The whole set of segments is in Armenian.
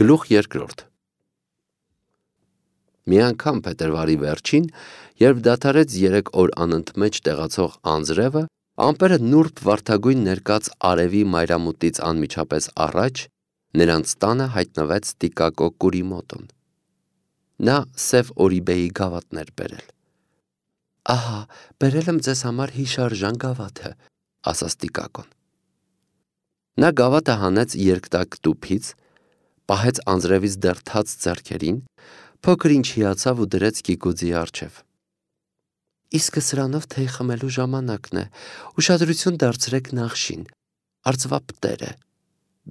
Գլուխ երկրորդ Մի անգամ փետրվարի վերջին, երբ դադարեց 3 օր անընդմեջ տեղացող անձրևը, ամպերը նուրբ վարդագույն ներկած արևի մայրամուտից անմիջապես առաջ, նրանց տանը հայտնվեց Տիկակո Կուրիմոտոն։ Նա սև օրիբեի գավաթներ բերել։ «Ահա, բերել եմ ձեզ համար հիշարժան գավաթը», ասաց Տիկակոն։ Նա գավաթը հանեց երկտակ տուփից, պահեց անձրևից դեռ թաց ձեռքերին, փոքր ինչ հիացավ ու դրեց Կիկուձի առջև։ «Իսկը սրանով թեյ խմելու ժամանակն է, ուշադրություն դարձրեք նախշին, արծվապտերը»,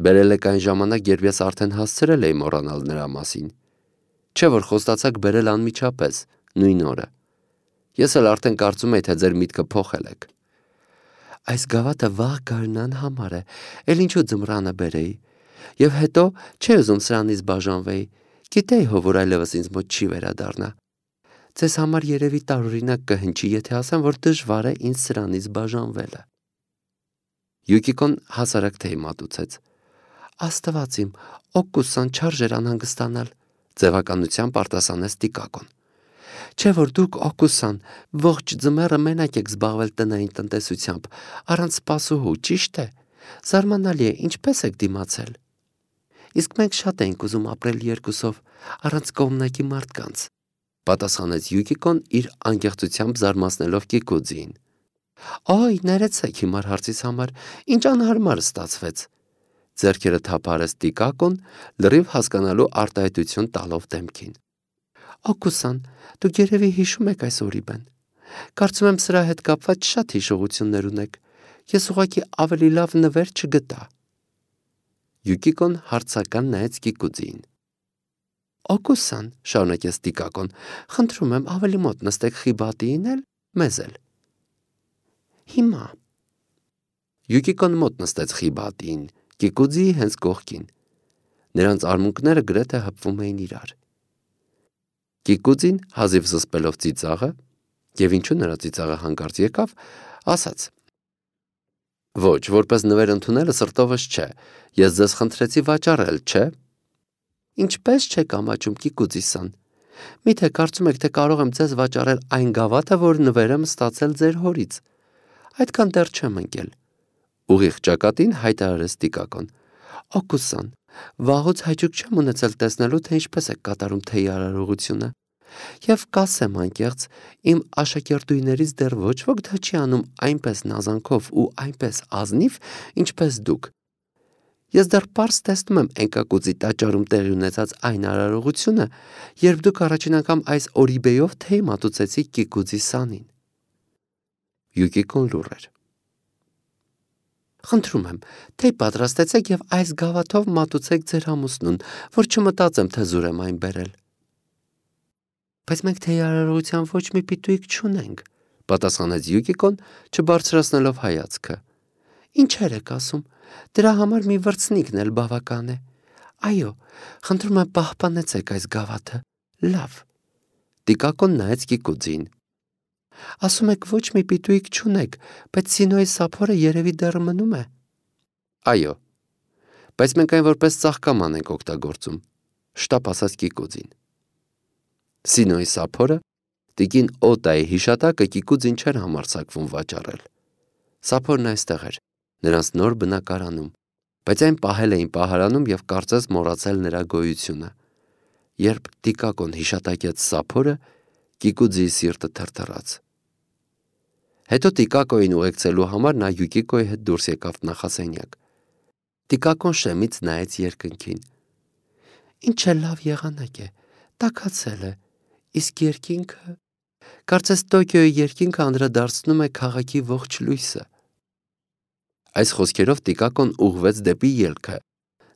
բերել եք այն ժամանակ, երբ ես արդեն հասցրել էի մոռանալ նրա մասին, չէ՞ որ խոստացաք բերել անմիջապես, նույն օրը։ Ես էլ արդեն կարծում էի, թե ձեր միտքը փոխել եք։ Այս գավաթը վաղ գարնան համար է, էլ ինչու ձմռանը բերեի, և հետո չէի ուզում սրանից բաժանվեի, գիտեի հո, որ այլևս ինձ մոտ չի վերադառնա։ Ձեզ համար երևի տարօրինակ կհնչի, եթե ասեմ, որ դժվար է ինձ սրանից բաժանվելը։ Յուկիկոն հասարակ թեյ մատուցեց։ Աստված իմ, օգուստան չարժեր անհանգստանալ, ձևականությամբ արտասանեց Տիկակոն։ Չէ՞ որ դուք օգուստան ողջ ձմեռը մենակ եք զբաղվել տնային տնտեսությամբ, առանց սպասուհու, ճիշտ է։ Զարմանալի է, ինչպես եք դիմացել։ Իսկ մենք շատ էինք ուզում ապրել երկուսով, առանց կողմնակի մարդկանց, պատասխանեց Յուկիկոն իր անկեղծությամբ զարմացնելով Կիկուձիին։ Օй, ներեցեք հիմար հարցիս համար, ինչ անհարմար ստացվեց։ Ձեռքերը թափարեց Տիկակոն, լրիվ հասկանալու արտահայտություն տալով դեմքին։ Օգուստան, դուք երևի հիշում եք այս օրիբեն։ Կարծում եմ սրա հետ կապված շատ հիշողություններ ունեք։ Ես ուղղակի ավելի լավ նվեր չգտա։ Յուկիկոն հարցական նայեց Կիկուձիին։ Օգուստան, շարունակեց Տիկակոն, խնդրում եմ ավելի մոտ նստեք խիբատիին էլ, մեզ էլ։ Հիմա։ Յուկիկոն մոտ նստեց խիբատիին, Կիկուձիի հենց կողքին։ Նրանց արմունկները գրեթե հպվում էին իրար։ Կիկուձին, հազիվ զսպելով ծիծաղը, և ինչու նրա ծիծաղը հանկարծ եկավ, ասաց. Ոչ, որպես նվեր ընդունելը սրտովս չէ, ես ձեզ խնդրեցի վաճառել, չէ՞։ Ինչպես չեք ամաչում, Կիկուձի-սան։ Միթե կարծում եք, թե կարող եմ ձեզ վաճառել այն գավաթը, որ նվեր եմ ստացել ձեր հորից։ Այդքան դեռ չեմ ընկել։ Ուղիղ ճակատին հայտարարեց Տիկակոն։ Օգուստան, վաղուց հաճույք չեմ ունեցել տեսնելու, թե ինչպես եք կատարում թեյի արարողությունը։ Եվ կասեմ անկեղծ, իմ աշակերտուհիներից դեռ ոչ ոք դա չի անում այնպես նազանքով ու այնպես ազնիվ, ինչպես դուք։ Ես դեռ պարզ տեսնում եմ Էնկակուձի տաճարում տեղի ունեցած այն արարողությունը, երբ դուք առաջին անգամ այս օրիբեյով թեյ մատուցեցիք Կիկուձի սանին։ Յուկիկոն լուռ էր։ Խնդրում եմ, թեյ պատրաստեցեք և այս գավաթով մատուցեք ձեր ամուսնուն, որ չմտածեմ, թե զուր եմ այն բերել։ Բայց մենք թեյի արարողության ոչ մի պիտույիկ չունենք, պատասխանեց Յուկիկոն, չբարձրացնելով հայացքը։ Ինչեր եք ասում, դրա համար մի վրձնիկն էլ բավական է։ Այո, խնդրում եմ պահպանեցեք այս գավաթը, լավ։ Տիկակոն նայեց Կիկուձին։ Ասում եք ոչ մի պիտույիկ չունեք, բայց Սինոյի սափորը երևի դեռ մնում է։ Այո, բայց մենք այն որպես ծաղկաման ենք օգտագործում, շտապ ասաց Կիկուձին։ Սինոյի սափորը տիկին Օտայի հիշատակը Կիկուձին չէր համարձակվում վաճառել։ Սափորն այստեղ էր, նրանց նոր բնակարանում, բայց այն պահել էին պահարանում և կարծես մոռացել նրա գոյությունը։ Երբ Տիկակոն հիշատակեց սափորը, Կիկուձիի սիրտը թրթռաց։ Հետո Տիկակոյին ուղեկցելու համար նա Յուկիկոյի հետ դուրս եկավ նախասենյակ։ Տիկակոն շեմից նայեց երկնքին։ Ինչ է լավ եղանակ է, տաքացել է, իսկ երկինքը, կարծես Տոկիոյի երկինքը անդրադարձնում է քաղաքի ողջ լույսը։ Այս խոսքերով Տիկակոն ուղղվեց դեպի ելքը։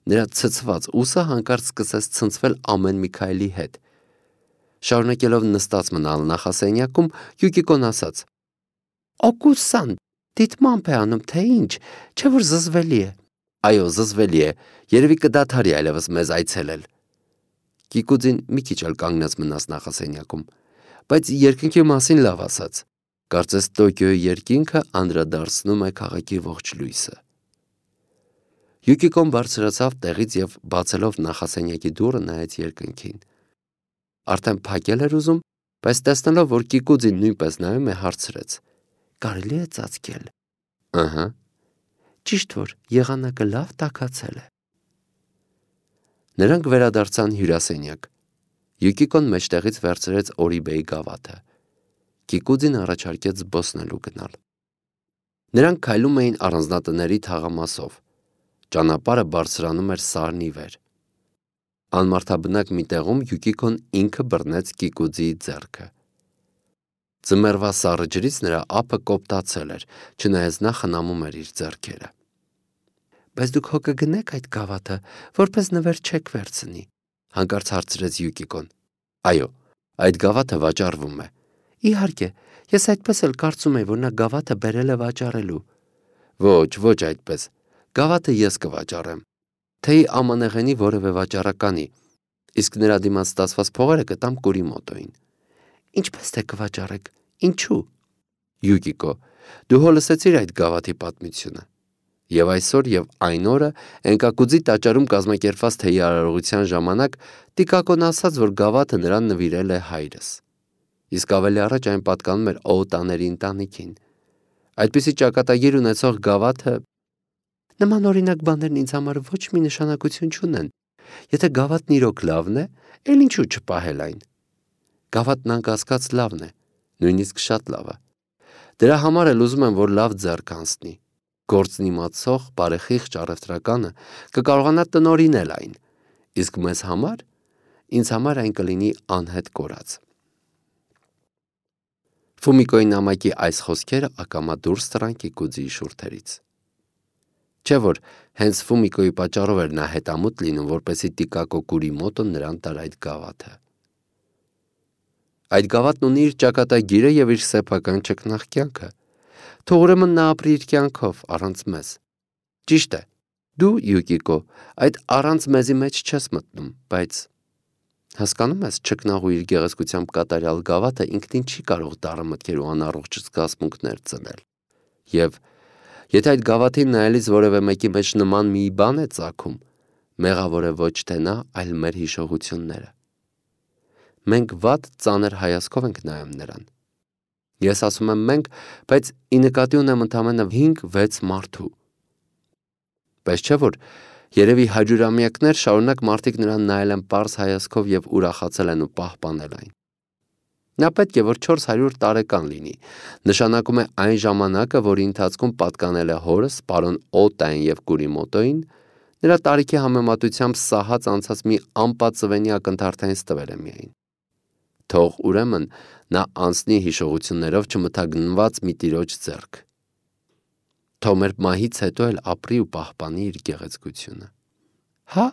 Նրա ցցված ուսը հանկարծ սկսեց ցնցվել ամեն մի քայլի հետ։ Շարունակելով նստած մնալ նախասենյակում, Յուկիկոն ասաց. Օգուստան, դիտմամբ է անում, թե ինչ, չէ՞ որ զզվելի է։ Այո, զզվելի է, երևի կդադարի այլևս մեզ այցելել։ Կիկուձին մի քիչ էլ կանգնած մնաց նախասենյակում, բայց երկնքի մասին լավ ասաց։ Կարծես Տոկիոյի երկինքը անդրադարձնում է քաղաքի ողջ լույսը։ Յուկիկոն բարձրացավ տեղից և բացելով նախասենյակի դուռը նայեց երկնքին։ Արդեն փակել էր ուզում, բայց տեսնելով, որ Կիկուձին նույնպես նայում է, հարցրեց. «Կարելի է ծածկել»։ Ըհը։ Ճիշտ որ եղանակը լավ տաքացել է։ Նրանք վերադարձան հյուրասենյակ։ Յուկիկոն մեջտեղից վերցրեց Օրիբեի գավաթը։ Կիկուձին առաջարկեց զբոսնելու գնալ։ Նրանք քայլում էին առանձնատների թաղամասով։ Ճանապարհը բարձրանում էր սարնի վեր։ Անմարդաբնակ մի տեղում Յուկիկոն ինքը բռնեց Կիկուձիի ձեռքը։ Ձմեռվա սառը ջրից նրա ափը կոպտացել էր, չնայած նա խնամում էր իր ձեռքերը։ Բայց դուք հո կգնեք այդ գավաթը, որպես նվեր չեք վերցնի, հանկարծ հարցրեց Յուկիկոն։ Այո, այդ գավաթը վաճառվում է։ Իհարկե, ես այդպես էլ կարծում եի, որ նա գավաթը բերել է վաճառելու։ Ոչ այդպես։ Գավաթը ես կվաճառեմ։ Թեյի ամանեղենի որևէ վաճառականի, իսկ նրա դիմաց ստացված փողերը կտամ Կուրիմոտոյին։ Ինչպես թե կվաճառեք, ինչու։ Յուկիկո, դու հո լսեցիր այդ գավաթի պատմությունը։ Եվ այսօր և այն օրը Էնկակուձի տաճարում կազմակերպված թեյի արարողության ժամանակ Տիկակոն ասաց, որ գավաթը նրան նվիրել է հայրս։ Իսկ ավելի առաջ այն պատկանում էր Օուտաների ընտանիքին։ Այդպիսի ճակատագիր ունեցող գավաթը… Նման օրինակ բաներն ինձ համար ոչ մի նշանակություն չունեն։ Եթե գավաթն իրոք լավն է, էլ ինչու չպահել այն։ Գավաթն անկասկած լավն է, նույնիսկ շատ լավը։ Դրա համար էլ ուզում եմ, որ լավ ձեռք անցնի։ Գործն իմացող, բարեխիղճ առևտրականը կկարողանա տնօրինել այն, իսկ ինձ համար այն կլինի անհետ կորած։ Ֆումիկոյի նամակի այս խոսքերը ակամա դուրս տռան Կիկուձիի շուրթերից։ Չէ՞ որ հենց Ֆումիկոյի պատճառով էր նա հետամուտ լինում, որպեսզի Տիկակո Կուրիմոտոն նրան տար այդ գավաթը։ Այդ գավաթն ունի իր ճակատագիրը և իր սեփական ճկնաղ կյանքը։ Թող ուրեմն նա ապրի իր կյանքով, առանց մեզ։ Ճիշտ է, դու, Յուկիկո, այդ առանց մեզի մեջ չես մտնում, բայց… Հասկանում ես, ճկնաղու իր գեղեցկությամբ կատարյալ գավաթը ինքնին չի կարող դառը մտքեր ու անառողջ զգացմունքներ ծնել։ Եվ եթե այդ գավաթին նայելիս որևէ մեկի մեջ նման մի բան է ծագում, մեղավոր է ոչ թե նա, այլ մեր հիշողությունները։ Մենք վատ ծանր հայացքով ենք նայում նրան։ Ես ասում եմ մենք, բայց ի նկատի ունեմ ընդամենը 5-6 մարդու։ Բայց չէ՞ որ երևի հարյուրամյակներ շարունակ մարդիկ նրան նայել են պարզ հայացքով և ուրախացել են ու պահպանել այն։ Նա պետք է որ 400 տարեկան լինի, նշանակում է այն ժամանակը, որի ընթացքում պատկանել է հորս, պարոն Օտային և Կուրիմոտոյին, նրա տարիքի համեմատությամբ սահած անցած մի անպատծվենի ակնթարթային ստվեր է միայն։ Թող ուրեմն նա անցնի հիշողություններով չմթագնված մի տիրոջ ձեռք։ Թող մեր մահից հետո էլ ապրի ու պահպանի իր գեղեցկությունը։ Հա,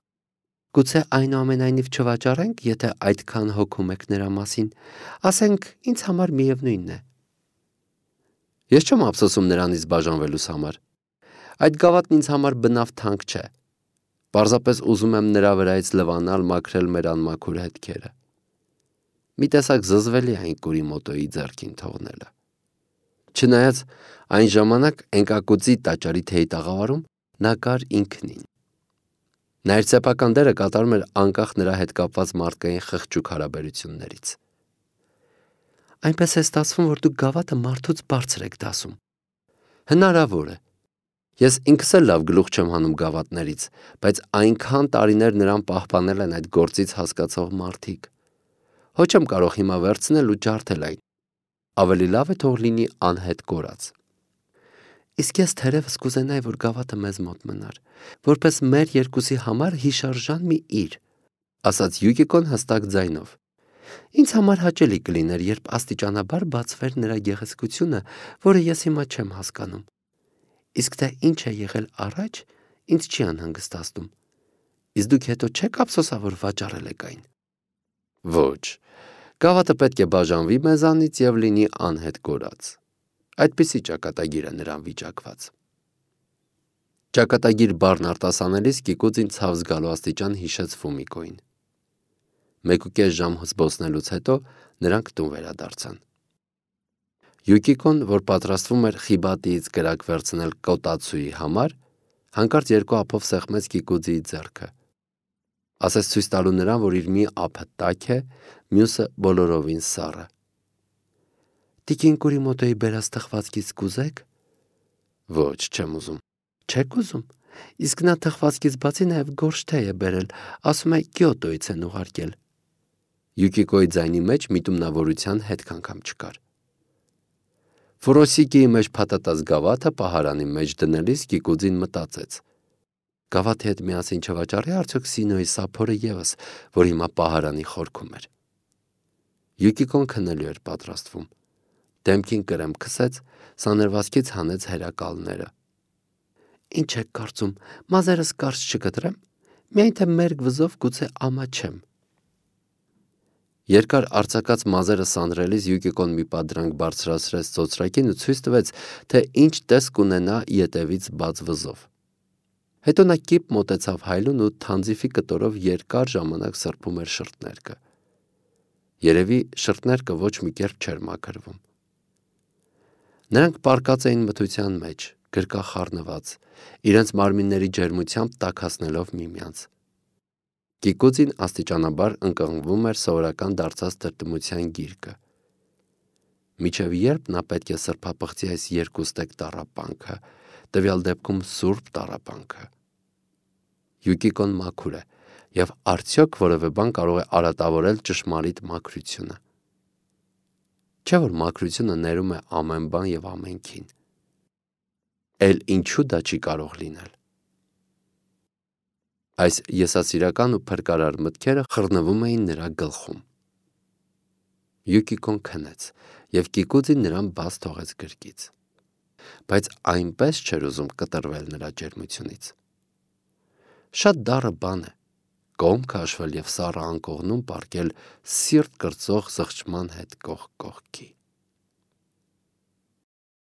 գուցե այնուամենայնիվ չվաճառենք, եթե այդքան հոգում եք նրա մասին, ասենք ինձ համար միևնույնն է։ Ես չեմ ափսոսում նրանից բաժանվելուս համար։ Այդ գավաթն ինձ համար բնավ թանկ չէ։ Պարզապես ուզում եմ նրա վրայից լվանալ, մաքրել մեր անմաքուր հետքերը։ Մի տեսակ զզվելի այն Կուրիմոտոյի ձեռքին թողնելը։ Չնայած այն ժամանակ Էնկակուձի տաճարի թեյի տաղավարում նա կար ինքնին։ Նա իր սեփական դերը կատարում էր անկախ նրա հետ կապված մարդկային խղճուկ հարաբերություններից։ Այնպես է ստացվում, որ դուք գավաթը մարդուց բարձր եք դասում։ Հնարավոր է։ Ես ինքս էլ լավ գլուխ չեմ հանում գավաթներից, բայց այնքան տարիներ նրան պահպանել են այդ գործից հասկացող մարդիկ։ Ոչ եմ կարող հիմա վերցնել ու ջարդել այն։ Ավելի լավ է թող լինի անհետ կորած։ Իսկ ես թերևս կուզենայի, որ գավաթը մեզ մոտ մնար, որպես մեր երկուսի համար հիշարժան մի իր, ասաց Յուկիկոն հստակ ձայնով։ Ինձ համար հաճելի կլիներ, երբ աստիճանաբար բացվեր նրա գեղեցկությունը, որը ես հիմա չեմ հասկանում։ Իսկ թե ինչ է եղել առաջ, ինձ չի անհանգստացնում։ Իսկ դուք հետո չեք ափսոսավոր վաճառել եք այն։ Ոչ, գավաթը պետք է բաժանվի մեզանից և լինի անհետ կորած։ Այդպիսի ճակատագիր է նրան վիճակված։ Ճակատագիր բառն արտասանելիս Կիկուձին ցավ զգալու աստիճան հիշեց Ֆումիկոյին։ 1.5 ժամ զբոսնելուց հետո նրանք տուն վերադարձան։ Յուկիկոն, որ պատրաստվում էր Խիբատիից կրակ վերցնել Կոտացուի համար, Հանկարծ երկու ափով սեղմեց Կիկուձիի ձեռքը։ Ասես ցույց տալու նրան, որ իր մի ափը տաք է, մյուսը բոլորովին սառը։ Տիկին Կուրիմոտոյի բերած թխվածքից կուզեք։ Ոչ, չեմ ուզում։ Չեք ուզում։ Իսկ նա թխվածքից բացի նաև գորշ թեյ է բերել, ասում է Կիոտոյից են ուղարկել։ Յուկիկոյի ձայնի մեջ միտումնավորության հետք անգամ չկար։ Ֆուրոսիկիի մեջ փաթաթած գավաթը պահարանի մեջ դնելիս Կիկուձին մտածեց. գավաթի հետ միասին չվաճառի արդյոք Սինոյի սափորը ևս, որ հիմա պահարանի խորքում էր։ Յուկիկոն քնելու էր պատրաստվում։ Դեմքին կրեմ քսեց, սաներվածքից հանեց հերակալները։ Ինչ եք կարծում, մազերս կարճ չկտրեմ, միայն թե մերկ վզով գուցե ամաչեմ։ Երկար արձակած մազերը սանրելիս Յուկիկոն մի պատրանք բարձրացրեց ծոծրակին ու ցույց տվեց, թե ինչ տեսք ունենա ետևից բաց վզով։ Հետո նա կիպ մոտեցավ հայլուն ու թանձիֆի կտորով երկար ժամանակ սրբում էր շրթներկը։ Երևի շրթներկը ոչ մի կերպ չէր մաքրվում։ Նրանք պառկած էին մթության մեջ, գրկախառնված, իրենց մարմինների ջերմությամբ տաքացնելով միմյանց։ Կիկուձին աստիճանաբար ընկղմվում էր սովորական դարձած տրտմության գիրկը։ Մինչև երբ նա պետք է սրբապղծի այս երկուստեք տառապանքը, տվյալ դեպքում սուրբ տառապանքը։ Յուկիկոն մաքուր է, եւ արդյոք որևէ բան կարող է արատավորել ճշմարիտ մաքրությունը։ Չէ՞ որ մաքրությունը ներում է ամեն բան եւ ամենքին։ Էլ ինչու դա չի կարող լինել։ Այս եսասիրական ու փրկարար մտքերը խռնվում էին նրա գլխում։ Յուկիկոն քնեց, եւ Կիկուձին նրան բաց թողեց գրկից։ Բայց այնպես չէր ուզում կտրվել նրա ջերմությունից։ Շատ դառը բան է կողմ քաշվել եւ սառը անկողնում պառկել սիրտ կրծող զղջման հետ կողք կողքի։